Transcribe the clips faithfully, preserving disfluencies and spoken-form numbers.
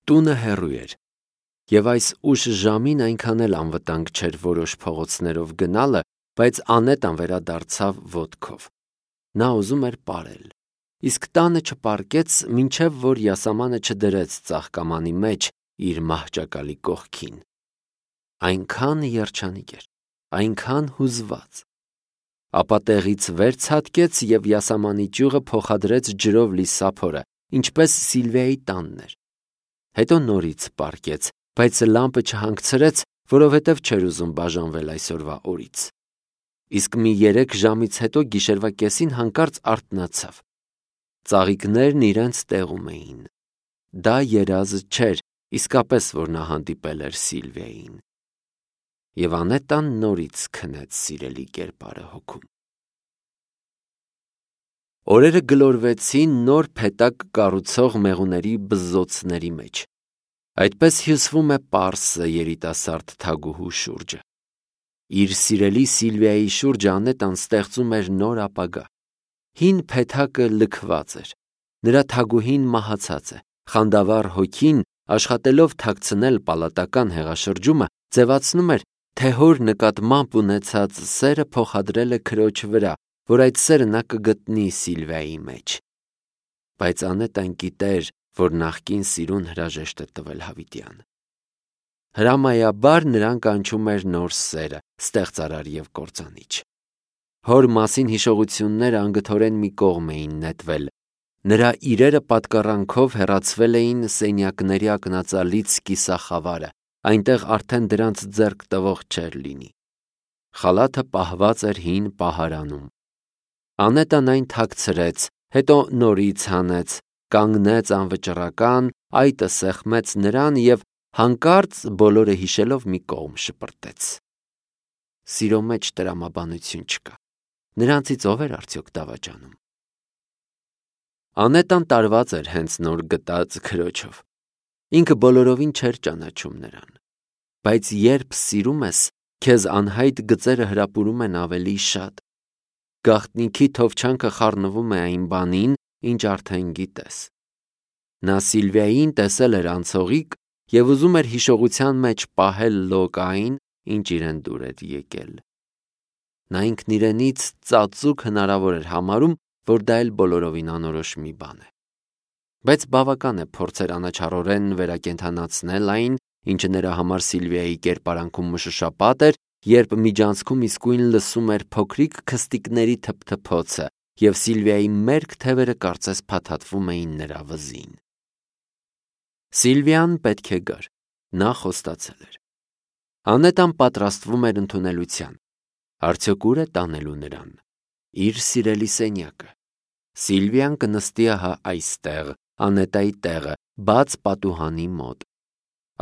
Տունը հեռու էր, և այս ուշ ժամին այնքան էլ անվտանգ չէր որոշ փողոցներով գնալը, բայց Անետան վերադարձավ ոտքով։ Նա ուզում էր պարել, իսկ տանը չպառկեց, մինչև որ յասամանը չդրեց ծաղկամանի մեջ իր մահճակալի կողքին։ Այնքան երջանիկ էր, այնքան հուզված։ Ապա տեղից վեր ցատկեց և յասամանի ճյուղը փոխադրեց ջրով լի սափորը, ինչպես Սիլվիայի տանն էր։ Հետո նորից պառկեց, բայց լամպը չհանգցրեց, որովհետև չէր ուզում բաժանվել այսօրվա օրից։ Իսկ մի երեք ժամից հետո գիշերվա կեսին հանկարծ արթնացավ։ Ծաղիկներն իրենց տեղում էին։ Դա երազը չէր, իսկապես, որ նա հանդիպել էր Սիլվիային։ Եվ Անետան նորից քնեց սիրելի կերպարը հոգում։ Օրերը գլորվեցին նոր փեթակ կառուցող մեղուների բզզոցների մեջ։ Այդպես հյուսվում է պարսը երիտասարդ թագուհու շուրջը։ Իր սիրելի Սիլվիայի շուրջը Անետան ստեղծում էր նոր ապագա։ Հին փեթակը լքված էր։ Նրա թագուհին մահացած է։ Խանդավառ հոգին, աշխատելով թաքցնել պալատական հեղաշրջումը, ձևացնում էր, թե հոր նկատմամբ ունեցած սերը փոխադրել է քրոջ վրա, որ այդ սերը նա կգտնի Սիլվիայի մեջ։ Բայց Անետան գիտեր, որ նախկին սիրուն հրաժեշտ է տվել հավիտյան։ Հրամայաբար նրան կանչում էր նոր սերը, ստեղծարար և կործանիչ։ Հոր մասին հիշողությունները անգթորեն մի կողմ էին նետվել։ Նրա իրերը պատկառանքով հեռացվել էին սենյակների ակնածալից կիսախավարը, այնտեղ արդեն դրանց ձեռք տվող չէր լինի։ Խալաթը պահված էր հին պահարանում։ Անետան այն թաքցրեց, հետո նորից հանեց, կանգնեց անվճռական, այտը սեղմեց նրան և հանկարծ բոլորը հիշելով մի կողմ շպրտեց։ Սիրո մեջ տրամաբանություն չկա։ Նրանցից ով էր արդյոք դավաճանում։ Անետան տարված էր հենց նոր գտած քրոջով։ Ինքը բոլորովին չէր ճանաչում նրան։ Բայց երբ սիրում ես, քեզ անհայտ գծերը հրապուրում են ավելի շատ։ Գաղտնիքի թովչանքը խառնվում է այն բանին, ինչ արդեն գիտես։ Նա Սիլվիային տեսել էր անցողիկ և ուզում էր հիշողության մեջ պահել լոկ այն, ինչ իրեն դուր էր եկել։ Նա ինքն իրենից ծածուկ հնարավոր էր համարում, որ դա էլ բոլորովին անորոշ մի բան է։ Բայց բավական է փորձեր անաչառորեն վերակենդանացնել այն, ինչը նրա համար Սիլվիայի կերպարանքում մշուշապատ էր, երբ միջանցքում իսկույն լսում էր փոքրիկ քստիկների թփթփոցը, և Սիլվիայի մերկ թևերը կարծես փաթաթվում էին նրա վզին։ Սիլվիան պետք է գար։ Նա խոստացել էր։ Անետան պատրաստվում էր ընդունելության։ Արդյոք ուր է տանելու նրան։ Իր սիրելի սենյակը։ Սիլվիան կնստի ահա այստեղ, Անետայի տեղը, բաց պատուհանի մոտ։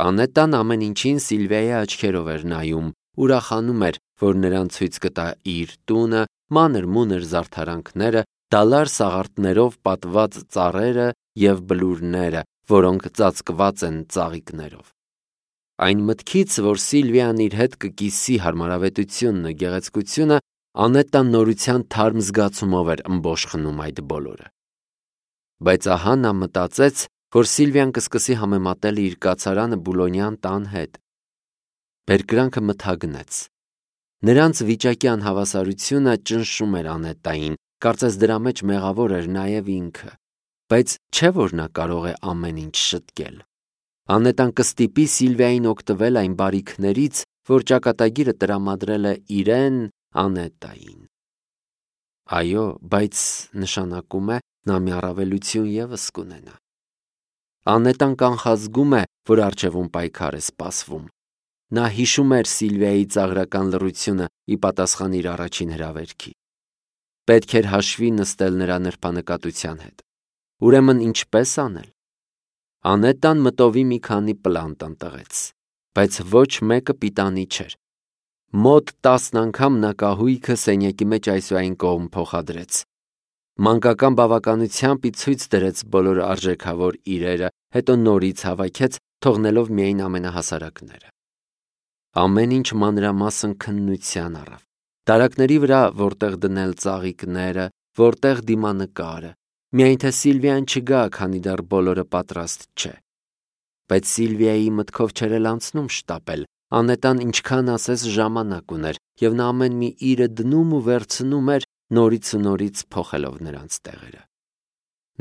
Անետան ամեն ինչին Սիլվիայի աչքերով էր նայում, ուրախանում էր, որ նրան ցույց կտա իր տունը, մանր-մունր զարդարանքները, դալար սաղարթներով պատված ծառերը և բլուրները, որոնք ծածկված են ծաղիկներով։ Այն մտքից, որ Սիլվիան իր հետ կկիսի հարմարավետությունն ու գեղեցկությունը, Անետան նորության թարմ զգացումով էր ըմբոշխնում այդ բոլորը։ Բայց ահա նա մտածեց, որ Սիլվիան կսկսի համեմատել իր կացարանը Բուլոնյան տան հետ։ Բերկրանքը մթագնեց։ Նրանց վիճակի անհավասարությունը ճնշում էր Անետային, կարծես դրա մեջ մեղավոր էր նաև ինքը։ Բայց չէ՞ որ նա կարող է ամեն ինչ շտկել։ Անետան կստիպի Սիլվիային օգտվել այն բարիքներից, որ ճակատագիրը տրամադրել է իրեն Անետային։ Այո, բայց նշանակում է, նա մի առավելություն ևս կունենա։ Անետան կանխազգում է, որ առջևում պայքար է սպասվում։ Նա հիշում էր Սիլվիայի ծաղրական լռությունը ի պատասխան իր առաջին հրավերքի։ Պետք էր հաշվի նստել նրա նրբանկատության հետ։ Ուրեմն ինչպե՞ս անել։ Անետան մտովի մի քանի պլան տնտղեց, բայց ոչ մեկը պիտանի չէր։ Մոտ տասն անգամ նա կահույքը սենյակի մեջ այս ու այն կողմ փոխադրեց։ Մանկական բավականությամբ ի ցույց դրեց բոլոր արժեքավոր իրերը, հետո նորից հավաքեց, թողնելով միայն ամենահասարակները։ Ամեն ինչ մանրամասն քննության առավ։ Դարակների վրա որտեղ դնել ծաղիկները, որտեղ դիմանկարը, միայն թե Սիլվիան չգա, քանի դեռ բոլորը պատրաստ չէ։ Բայց Սիլվիայի մտքով չէր էլ անցնում շտապել, Անետան ինչքան ասես ժամանակ ուներ, և նա ամեն մի իրը դնում ու վերցնում էր, նորից ու նորից փոխելով նրանց տեղերը։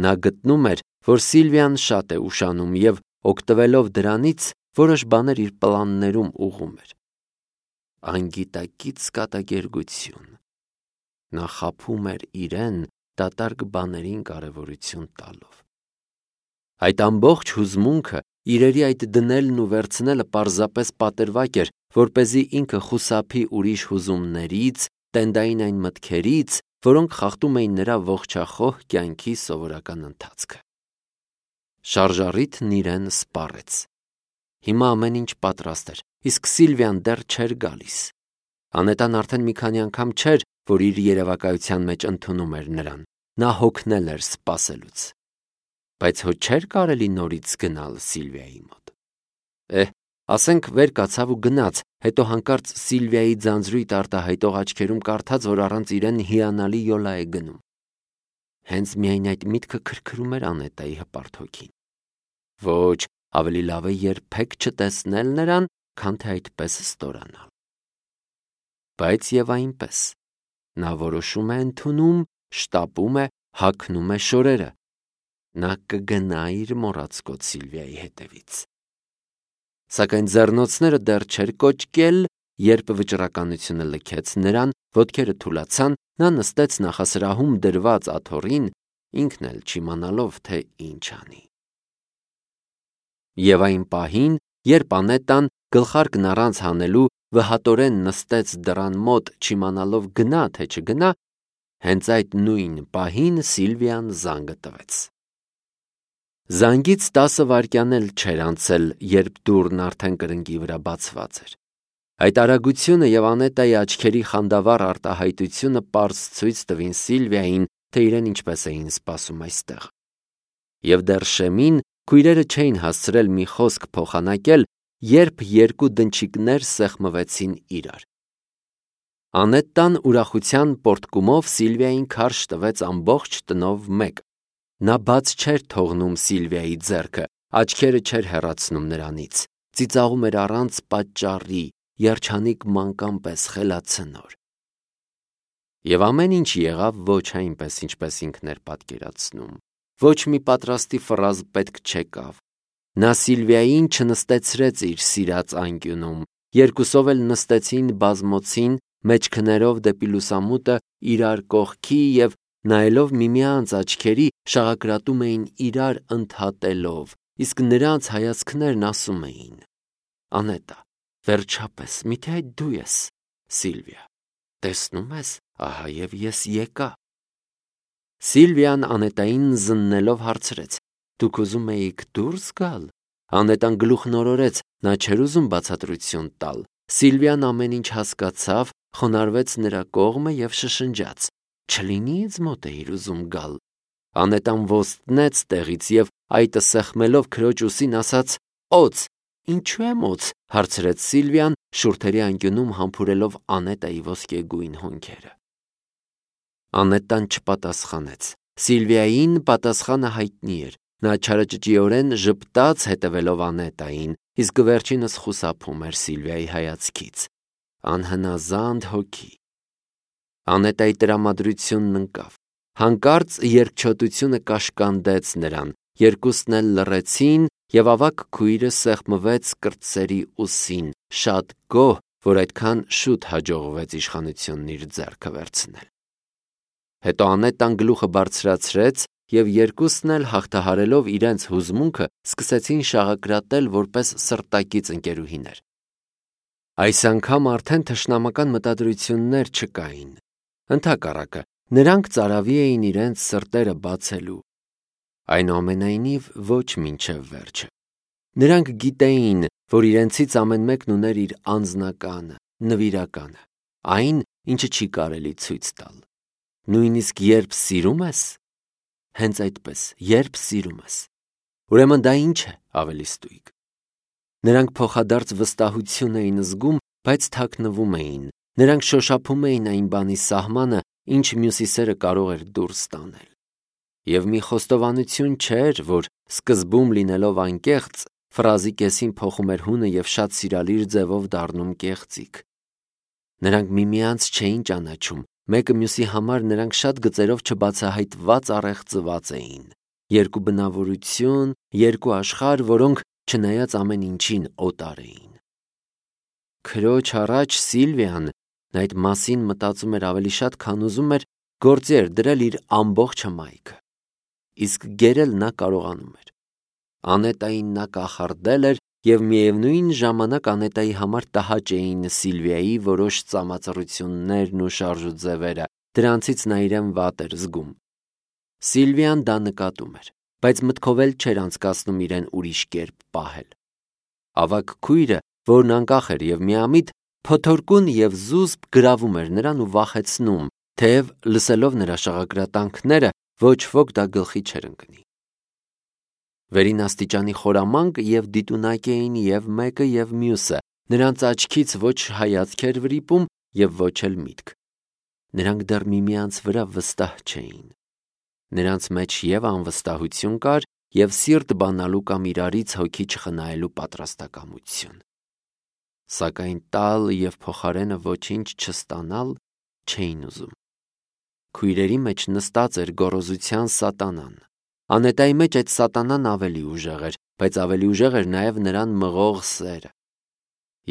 Նա գտնում էր, որ Սիլվիան շատ է ուշանում և, օգտվելով դրանից, որոշ բաներ իր պլաններում ուղղում էր։ Անգիտակից կատակերգություն։ Նա խաբում էր իրեն դատարկ բաներին կարևորություն տալով։ Այդ ամբողջ հուզմունքը, իրերի այդ դնելն ու վերցնելը պարզապես պատրվակ էր, որպեսզի ինքը խուսափի ուրիշ հուզումներից, տենդային այն մտքերից, որոնք խախտում էին նրա ողջախոհ կյանքի սովորական ընթացքը։ Շարժառիթն իրեն սպառեց։ Հիմա ամեն ինչ պատրաստ էր, իսկ Սիլվիան դեռ չէր գալիս։ Անետան արդեն մի քանի անգամ չէր, որ իր երևակայության մեջ ընդունում էր նրան։ Նա հոգնել էր սպասելուց։ Բայց հո չէր կարելի նորից գնալ Սիլվիայի մոտ։ Էհ, ասենք վեր կացավ ու գնաց, հետո հանկարծ Սիլվիայի ձանձրույթ արտահայտող աչքերում կարդաց, որ առանց իրեն հիանալի յոլա է գնում։ Հենց միայն այդ միտքը քրքրում էր Անետայի հպարտ հոգին։ Ոչ, ավելի լավ է երբեք չտեսնել նրան, քան թե այդպես ստորանալ։ Բայց եւ այնպես։ Նա որոշում է ընդունում, շտապում է, հագնում է շորերը։ Նա կգնա իր մոռացկոտ Սիլվիայի հետևից։ Սակայն ձեռնոցները դեռ չէր կոճկել, երբ վճռականությունը լքեց նրան, ոտքերը թուլացան, նա նստեց նախասրահում դրված աթոռին, ինքն էլ չիմանալով, թե ինչ անի։ Եվ այն պահին, երբ Անետան գլխարկն առանց հանելու վհատորեն նստեց դռան մոտ, չիմանալով գնա թե չգնա, հենց այդ նույն պահին Սիլվիան զանգը տվեց։ Զանգից տասը վայրկյան էլ չէր անցել, երբ դուռն արդեն կրնկի վրա բացված էր։ Այդ արագությունը և Անետայի աչքերի խանդավառ արտահայտությունը պարզ ցույց տվին Սիլվիային, թե իրեն ինչպես էին սպասում այստեղ։ Եվ դեռ շեմին քույրերը չէին հասցրել մի խոսք փոխանակել, երբ երկու դնչիկներ սեղմվեցին իրար։ Անետան ուրախության պոռթկումով Սիլվիային քարշ տվեց ամբողջ տնով մեկ։ Նա բաց չէր թողնում Սիլվիայի ձեռքը, աչքերը չէր հեռացնում նրանից, ծիծաղում էր առանց պատճառի, երջանիկ մանկան պես խելացնոր։ Եվ ամեն ինչ եղավ ոչ այնպես, ինչպես ինքն էր պատկերացնում։ Ոչ մի պատրաստի ֆրազ պետք չեկավ։ Նա Սիլվիային չնստեցրեց իր սիրած անկյունում, երկուսով էլ նստեցին բազմոցին, մեջքներով դեպի լուսամուտը իրար կողքի և նայելով միմյանց աչքերի շաղակրատում էին իրար ընդհատելով, իսկ նրանց հայացքներն ասում էին. Անետա, վերջապես, միթե այդ դու ես, Սիլվիա, տեսնում ես, ահա և ես եկա։ Սիլվիան Անետային զննելով հարցրեց. Դուք ուզում էիք դուրս գալ։ Անետան գլուխն օրորեց, նա չէր ուզում բացատրություն տալ։ Սիլվիան ամեն ինչ հասկացավ, խոնարհվեց նրա կողմը և շշնջաց. Չլինի ինձ մոտ էիր ուզում գալ։ Անետան ոստնեց տեղից և այտը սեղմելով քրոջ ուսին ասաց. Օձ, ինչու եմ օձ, հարցրեց Սիլվիան, շուրթերի անկյունում համբուրելով Անետայի ոսկեգույն հոնքերը։ Անետան չպատասխանեց։ Սիլվիային պատասխանը հայտնի էր։ Նա չարաճճիորեն ժպտաց հետևելով Անետային, իսկ վերջինս խուսափում էր Սիլվիայի հայացքից։ Անհնազանդ հոգի։ Անետայի տրամադրությունն ընկավ։ Հանկարծ երկչոտությունը կաշկանդեց նրան, երկուսն էլ լռեցին, և ավագ քույրը սեղմվեց կրտսերի ուսին, շատ գոհ, որ այդքան շուտ հաջողվեց իշխանությունն իր ձեռքը վերցնել։ Հետո Անետան գլուխը բարձրացրեց, և երկուսն էլ հաղթահարելով իրենց հուզմունքը, սկսեցին շաղակրատել որպես սրտակից ընկերուհիներ։ Այս անգամ արդեն թշնամական մտադրություններ չկային։ Ընդհակառակը, նրանք ծարավի էին իրենց սրտերը բացելու։ Այնուամենայնիվ, ոչ մինչև վերջը։ Նրանք գիտեին, որ իրենցից ամեն մեկն ուներ իր անձնականը, նվիրականը, այն, ինչը չի կարելի ցույց տալ։ Նույնիսկ երբ սիրում ես, հենց այդպես, երբ սիրում ես, ուրեմն դա ինչ է ավելի ստույգ։ Նրանք փոխադարձ վստահություն էին զգում, բայց թաքնվում էին։ Նրանք շոշափում էին այն բանի սահմանը, ինչ մյուսի սերը կարող էր դուրս տանել։ Եվ մի խոստովանություն չէր, որ սկզբում լինելով անկեղծ, ֆրազի կեսին փոխում էր հունը և շատ սիրալիր ձևով դառնում կեղծիք։ Նրանք միմյանց չէին ճանաչում, մեկը մյուսի համար նրանք շատ գծերով չբացահայտված առեղծված էին։ Երկու բնավորություն, երկու աշխարհ, որոնք չնայած ամեն ինչին օտար էին։ Քրոջ առաջ Սիլվիան այդ մասին մտածում էր ավելի շատ, քան ուզում էր գործի էր դրել իր ամբողջ հմայքը։ Իսկ գերել նա կարողանում էր։ Անետային նա կախարդել էր, և միևնույն ժամանակ Անետայի համար տհաճ էին Սիլվիայի որոշ ծամածռություններն ու շարժուձևերը, դրանցից նա իրեն վատ էր զգում։ Սիլվիան դա նկատում էր, բայց մտքով էլ չէր անցկացնում իրեն ուրիշ կերպ պահել։ Ավագ քույրը, որն անկախ էր և միամիտ, փոթորկուն և զուսպ գրավում էր նրան ու վախեցնում, թեև լսելով նրա շաղակրատանքները ոչ ոք դա գլխի չէր ընկնի։ Վերին աստիճանի խորամանկ և դիտունակ էին և մեկը և մյուսը, նրանց աչքից ոչ հայացք էր վրիպում և ոչ էլ միտք։ Նրանք դեռ միմյանց վրա վստահ չէին։ Նրանց մեջ և անվստահություն կար, և սիրտ բանալու կամ իրարից հոգի չխնայելու պատրաստակամություն։ Սակայն տալ և փոխարենը ոչինչ չստանալ չէին ուզում։ Քույրերի մեջ նստած էր գոռոզության սատանան։ Անետայի մեջ այդ սատանան ավելի ուժեղ էր, բայց ավելի ուժեղ էր նաև նրան մղող սերը։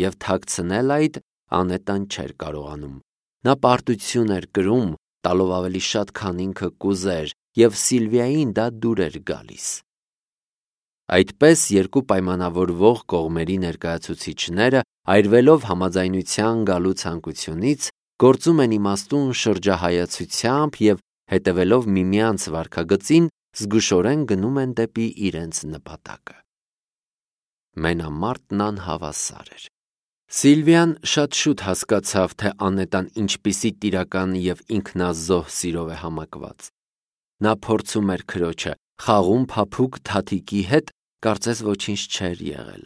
Եվ թաքցնել այդ Անետան չէր կարողանում։ Նա պարտություն էր կրում, տալով ավելի շատ, քան ինքը կուզեր, և Սիլվիային դա դուր էր գալիս։ Այդպես երկու պայմանավորվող կողմերի ներկայացուցիչները, այրվելով համաձայնության գալու ցանկությունից, գործում են իմաստուն շրջահայացությամբ և հետևելով միմյանց վարքագծին, զգուշորեն գնում են դեպի իրենց նպատակը։ Մենամարտն անհավասար էր։ Սիլվիան շատ շուտ հասկացավ, թե Անետան ինչպիսի տիրական և ինքնազոհ սիրով է համակված։ Նա փորձում էր քրոջը, խաղում փափուկ թաթիկի հետ, կարծես ոչինչ չէր եղել։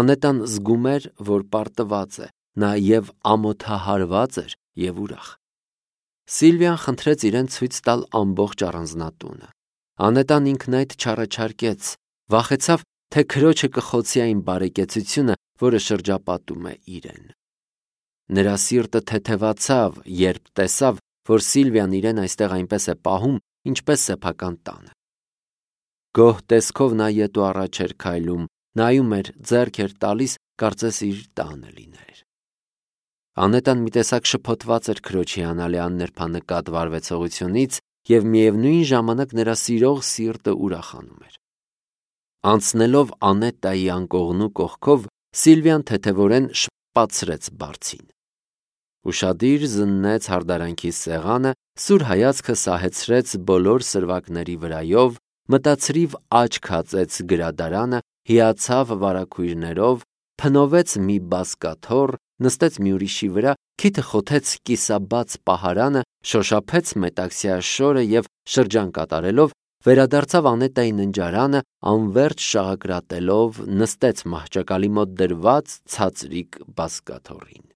Անետան զգում էր, որ պարտված է, նա և ամոթահարված էր, և ուրախ։ Սիլվիան խնդրեց իրեն ցույց տալ ամբողջ առանձնատունը։ Անետան ինքն այդ չառաջարկեց, վախեցավ, թե քրոջը կխոցի այն բարեկեցությունը, որը շրջապատում է իրեն։ Նրա սիրտը թեթևացավ, երբ տեսավ, որ Սիլվիան իրեն այստեղ այնպես է պահում, ինչպես սեփական տանը։ Գոհ տեսքով նա ետ ու առաջ էր քայլում, նայում էր, ձեռք էր տալիս, կարծես իր տանը լիներ։ Անետան մի տեսակ շփոթված էր քրոջի հիանալի աննրբանկատ վարվեցողությունից և միևնույն ժամանակ նրա սիրող սիրտը ուրախանում էր։ Անցնելով Անետայի անկողնու կողքով, Սիլվիան թեթևորեն շպացրեց բարձին։ Ուշադիր զննեց հարդարանքի սեղանը, սուր հայացքը սահեցրեց բոլոր սրվակների վրայով, մտացրիվ աչք հածեց գրադարանը, հիացավ վարագույրներով, փնովեց մի բազկաթոռ, նստեց մի ուրիշի վրա, քիթը խոթեց կիսաբաց պահարանը, շոշափեց մետաքսյա շորը և շրջան կատարելով, վերադարձավ Անետայի ննջարանը, անվերջ շաղակրատելով, նստեց մահճակալի մոտ դրված ցածրիկ բազկաթոռին։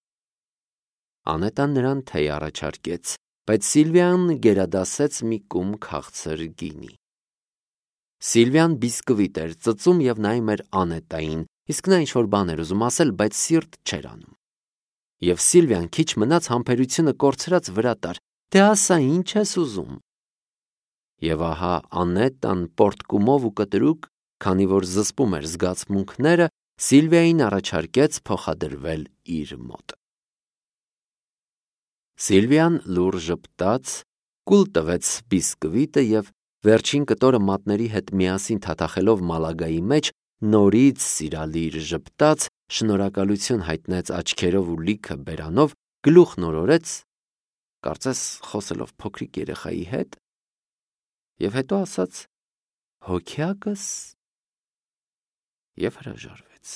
Անետան նրան թեյ առաջարկեց, բայց Սիլվիան գերադասեց մի կում քաղցր գինի։ Սիլվիան բիսկվիտ էր ծծում և նայում էր Անետային, իսկ նա ինչ-որ բան էր ուզում ասել, բայց սիրտ չէր անում։ Եվ Սիլվիան քիչ մնաց համբերությունը կորցրած վրա տար. «Դե ասա, ինչ ես ուզում»։ Եվ ահա Անետան պոռթկումով ու կտրուկ, քանի որ զսպում էր զգացմունքները, Սիլվիային առաջարկեց փոխադրվել իր մոտ։ Սիլվիան լուռ ժպտաց, կուլ տվեց բիսկվիտը և վերջին կտորը մատների հետ միասին թաթախելով մալագայի մեջ, նորից սիրալիր ժպտաց, շնորհակալություն հայտնեց աչքերով ու լիքը բերանով, գլուխ նորորեց, կարծես խոսելով փոքրիկ երեխայի հետ, և հետո ասաց. «Հոգյակս» և հրաժարվեց։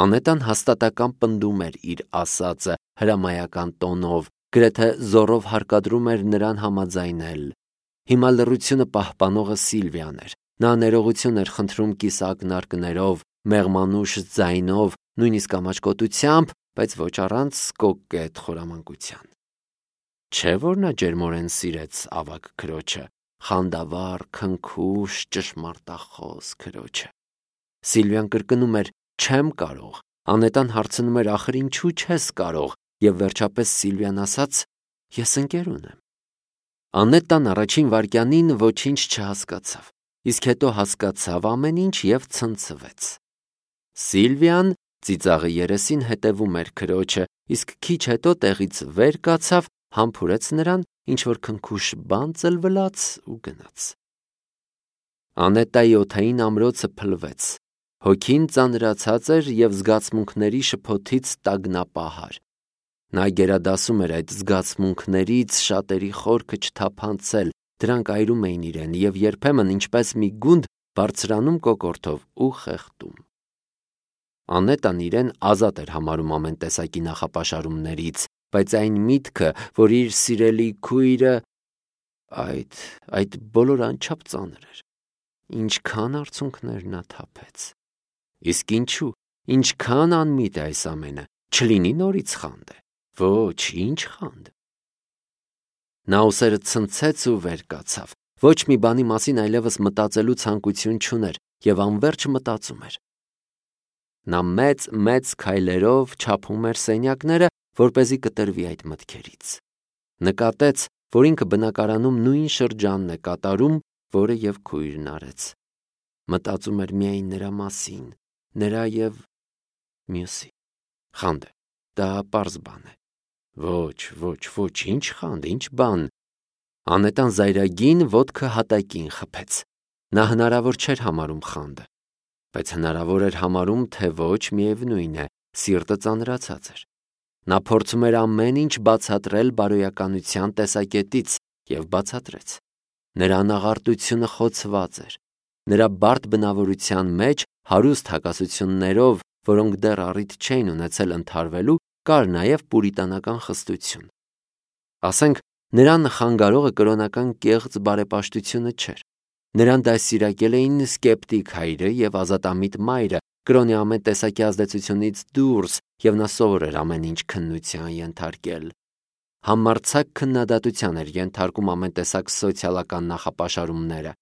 Անետան հաստատակամ պնդում էր իր ասածը հրամայական տոնով, գրեթե զոռով հարկադրում էր նրան համաձայնել։ Հիմա լռությունը պահպանողը Սիլվիան էր։ Նա ներողություն էր խնդրում կիսակնարկներով, մեղմանուշ ձայնով, նույնիսկ ամաչկոտությամբ, բայց ոչ առանց կոկետ խորամանկության։ Չէ՞ որ նա ջերմորեն սիրեց ավագ քրոջը, խանդավառ, քնքուշ, ճշմարտախոս քրոջը։ Սիլվիան կրկնում էր. «Չեմ կարող»։ Անետան հարցնում էր. «Ախր ինչու չես կարող»։ Եվ վերջապես Սիլվիան ասաց. «Ես ընկեր ունեմ»։ Անետան առաջին վայրկյանին ոչինչ չհասկացավ, իսկ հետո հասկացավ ամեն ինչ և ցնցվեց։ Սիլվիան ծիծաղի երեսին հետևում էր քրոջը, իսկ քիչ հետո տեղից վեր կացավ, համբուրեց նրան, ինչ-որ քնքուշ բան ծլվլաց ու գնաց։ Անետայի օդային ամրոցը փլվեց։ Հոգին ծանրացած էր և զգացմունքների շփոթից տագնապահար։ Նա գերադասում էր այդ զգացմունքներից շատերի խորքը չթափանցել, դրանք այրում էին իրեն և երբեմն ինչպես մի գունդ բարձրանում կոկորդով ու խեղդում։ Անետան իրեն ազատ էր համարում ամեն տեսակի նախապաշարումներից, բայց այն միտքը, որ իր սիրելի քույրը… այդ… այդ բոլորը անչափ ծանր էր։ Ինչքան արցունքներ նա թափեց։ Իսկ ինչու, ինչքան անմիտ է այս ամենը, չլինի նորից խանդ է։ Ոչ, ինչ խանդ։ Նա ուսերը ցնցեց ու վեր կացավ։ Ոչ մի բանի մասին այլևս մտածելու ցանկություն չուներ և անվերջ մտածում էր։ Նա մեծ-մեծ քայլերով չափում էր սենյակները, որպեսզի կտրվի այդ մտքերից։ Նկատեց, որ ինքը բնակարանում նույն շրջանն է կատարում, որը և քույրն արեց։ Մտածում էր միայն նրա մասին, նրա և մյուսի։ Խանդ է, դա պարզ բան է։ Ոչ, ոչ, ոչ, ինչ խանդ, ինչ բան։ Անետան զայրագին ոտքը հատակին խփեց։ Նա հնարավոր չէր համարում խանդը, բայց հնարավոր էր համարում, թե ոչ, միևնույն է, սիրտը ծանրացած էր։ Նա փորձում էր ամեն ինչ բացատրել բարոյականության տեսակետից և բացատրեց։ Նրա անաղարտությունը խոցված էր։ Նրա բարդ բնավորության մեջ, հարուստ հակասություններով, որոնք դեռ առիթ չէին ունեցել ընդհարվելու, կար նաև պուրիտանական խստություն։ Ասենք, նրան խանգարողը կրոնական կեղծ բարեպաշտությունը չէր։ Նրան դաստիարակել էին սկեպտիկ հայրը և ազատամիտ մայրը, կրոնի ամեն տեսակի ազդեցությունից դուրս, և նա սովոր էր ամեն ինչ քննության ենթարկել։ Համարձակ քննադատության էր ենթարկում ամեն տեսակ սոցիալական նախապաշարումները։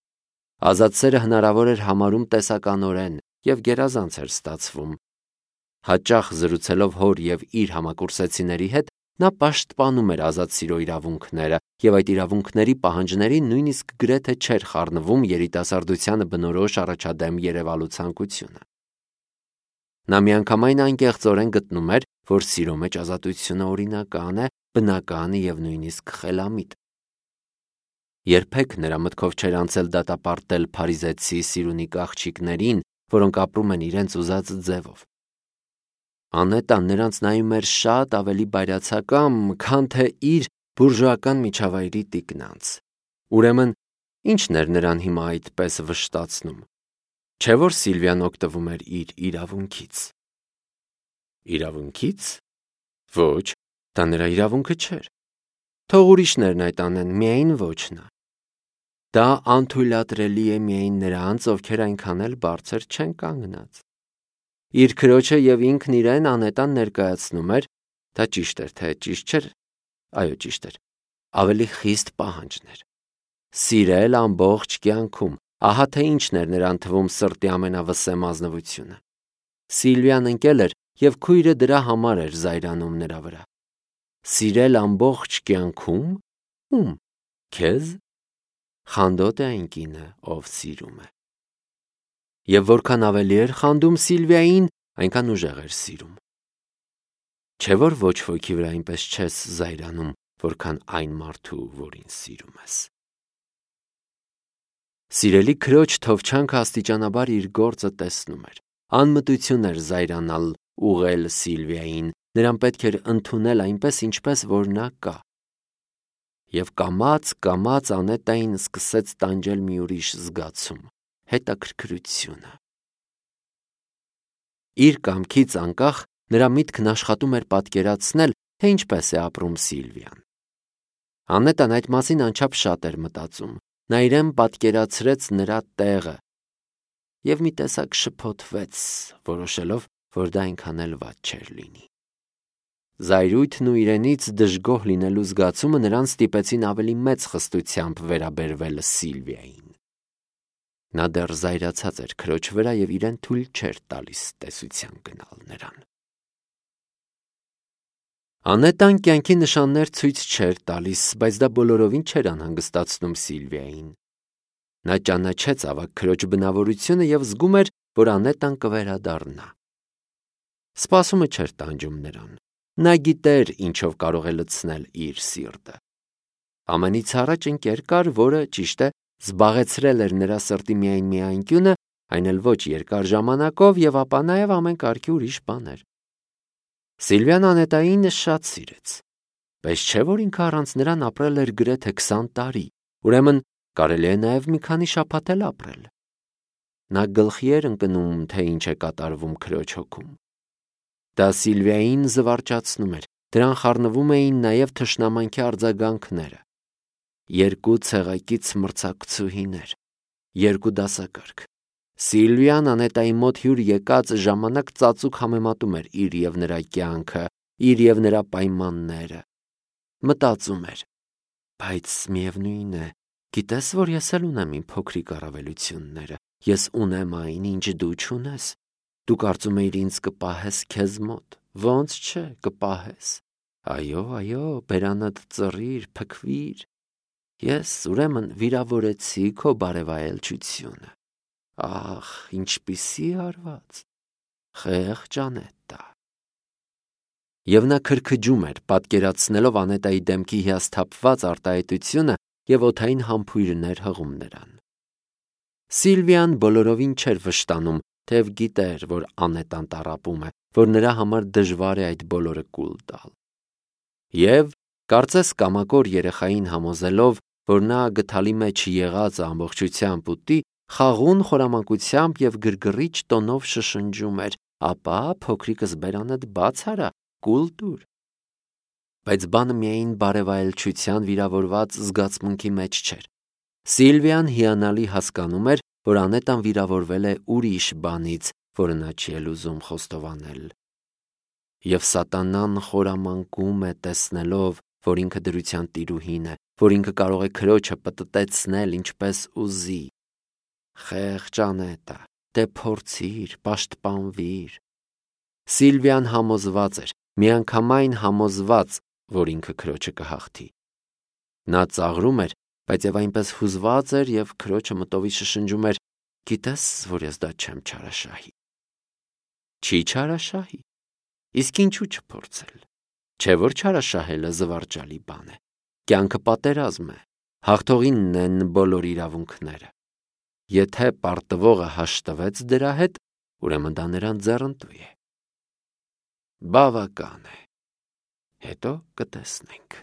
Ազատ սերը հնարավոր էր համարում տեսականորեն և գերազանց էր ստացվում։ Հաճախ զրուցելով հոր և իր համակուրսեցիների հետ, նա պաշտպանում էր ազատ սիրո իրավունքները և այդ իրավունքների պահանջներին նույնիսկ գրեթե չէր խառնվում երիտասարդությանը բնորոշ առաջադեմ երևալու ցանկությունը։ Նա միանգամայն անկեղծորեն գտնում էր, որ սիրո մեջ ազատությունը օրինական է, բնական և նույնիսկ խելամիտ։ Երբեք նրա մտքով չէր անցել դատապարտել փարիզեցի սիրունիկ աղջիկներին, որոնք ապրում են իրենց ուզած ձևով։ Անետան նրանց նայում էր շատ ավելի բայրացակամ, քան թե իր բուրժուական միջավայրի տիկնանց։ Ուրեմն, ի՞նչն էր նրան հիմա այդպես վշտացնում։ Չէ՞ որ Սիլվիան օգտվում էր իր իրավունքից։ Իրավունքի՞ց։ Ոչ, դա նրա իրավունքը չէր։ Թող ուրիշներն այդ անեն, միայն ոչ նա։ Դա անթույլատրելի է միայն նրանց, ովքեր այնքան էլ բարձր չեն կանգնած։ Իր քրոջը և ինքն իրեն անետան ներկայացնում էր, դա ճիշտ էր, թե ճիշտ չէր, այո, ճիշտ էր, ավելի խիստ պահանջներ։ Սիրել ամբողջ կյանքում, ահա թե ինչն էր նրան թվում սրտի ամենավսեմ ազնվությունը։ Սիլվիան ընկել էր, և քույրը դրա համար էր զայրանում նրա վրա։ Սիրել ամբողջ կյանքում։ Ո՞ւմ։ Քեզ։ Խանդոտ է այն կինը, ով սիրում է։ Եվ որքան ավելի էր խանդում Սիլվիային, այնքան ուժեղ էր սիրում։ Չէ՞ որ ոչ ոքի վրա այնպես չես զայրանում, որքան այն մարդու, որին սիրում ես։ Սիրելի քրոջ թովչանքը աստիճանաբար իր գործը տեսնում էր։ Անմտություն էր զայրանալ ուղղել Սիլվիային, նրան պետք էր ընդունել այնպես, ինչպես որ նա կա։ Եվ կամաց-կամաց Անետային սկսեց տանջել մի ուրիշ զգացում՝ հետաքրքրությունը։ Իր կամքից անկախ նրա միտքն աշխատում էր պատկերացնել, թե ինչպես է ապրում Սիլվիան։ Անետան այդ մասին անչափ շատ էր մտածում։ Նա իրեն պատկերացրեց նրա տեղը և մի տեսակ շփոթվեց, որոշելով, որ դա այնքան էլ վատ չէր լինի։ Զայրույթն ու իրենից դժգոհ լինելու զգացումը նրան ստիպեցին ավելի մեծ խստությամբ վերաբերվել Սիլվիային։ Նա դեռ զայրացած էր քրոջ վրա և իրեն թույլ չէր տալիս տեսության գնալ նրան։ Անետան կյանքի նշաններ ցույց չէր տալիս, բայց դա բոլորովին չէր անհանգստացնում Սիլվիային։ Նա ճանաչեց ավագ քրոջ բնավորությունը և զգում էր, որ Անետան կվերադառնա։ Սպասումը չէր տանջում նրան։ Նա գիտեր, ինչով կարող է լցնել իր սիրտը։ Ամենից առաջ ընկեր կար, որը, ճիշտ է, զբաղեցրել էր նրա սրտի միայն մի անկյունը, այն էլ ոչ երկար ժամանակով, և ապա նաև ամեն կարգի ուրիշ բաներ։ Սիլվիան Անետային շատ սիրեց, բայց չէ՞ որ ինքը առանց նրան ապրել էր գրեթե քսան տարի, ուրեմն կարելի է նաև մի քանի շաբաթ էլ ապրել։ Նա գլխի էր ընկնում, թե ինչ է կատարվում քրոջ հոգում։ Դա Սիլվիային զվարճացնում էր, դրան խառնվում էին նաև թշնամանքի արձագանքները։ Երկու ցեղակից մրցակցուհիներ, երկու դասակարգ։ Սիլվիան Անետայի մոտ հյուր եկած ժամանակ ծածուկ համեմատում էր իր և նրա կյանքը, իր և նրա պայմանները։ Մտածում էր. բայց միևնույն է, գիտես, որ ես էլ ունեմ իմ փոքրիկ առավելությունները, ես ունեմ այն, ինչ դու չունես։ Դու կարծում էիր ինձ կպահես քեզ մոտ, ոնց չէ, կպահես։ Այո, այո, բերանդ ծռիր, փքվիր։ Ես ուրեմն վիրավորեցի քո բարևայելչությունը։ Ախ, ինչպիսի հարված, խեղճ Անետա։ Եվ նա քրքջում էր, պատկերացնելով Անետայի դեմքի հիասթափված արտահայտությունը և օդային համբույրներ հղում նրան։ Սիլվիան բոլորովին չէր վշտանում, թեև գիտեր, որ Անետան տառապում է, որ նրա համար դժվար է այդ բոլորը կուլ տալ։ Եվ, կարծես կամակոր երեխային համոզելով, որ նա գդալի մեջ եղածը ամբողջությամբ ուտի, խաղաղուն խորամանկությամբ և գրգռիչ տոնով շշնջում էր. ապա փոքրիկս բերանդ բաց արա, կուլ տուր։ Բայց բանը միայն բարևայելչության վիրավորված զգացմունքի մեջ չէր։ Սիլվիան հիանալի հասկանում էր, որ Անետան վիրավորվել է ուրիշ բանից, որը նա չի էլ ուզում խոստովանել։ Եվ սատանան խորամանկում է, տեսնելով, որ ինքը դրության տիրուհին է, որ ինքը կարող է քրոջը պտտեցնել ինչպես ուզի։ Խեղճ Անետա, դե փորձիր, պաշտպանվիր։ Սիլվիան համոզված էր, միանգամայն համոզված, որ ինքը քրոջը կհաղթի։ Նա ծաղրում էր, բայց և այնպես հուզված էր և քրոջը մտովի շշնջում էր. գիտես, որ ես դա չեմ չարաշահի։ Չի չարաշահի։ Իսկ ինչու չփորձել։ Չէ՞ որ չարաշահելը զվարճալի բան է։ Կյանքը պատերազմ է։ Հաղթողինն են բոլոր իրավունքները։ Եթե պարտվողը հաշտվեց դրա հետ, ուրեմն դա նրան ձեռնտու է։ Բավական է։ Հետո կտեսնենք։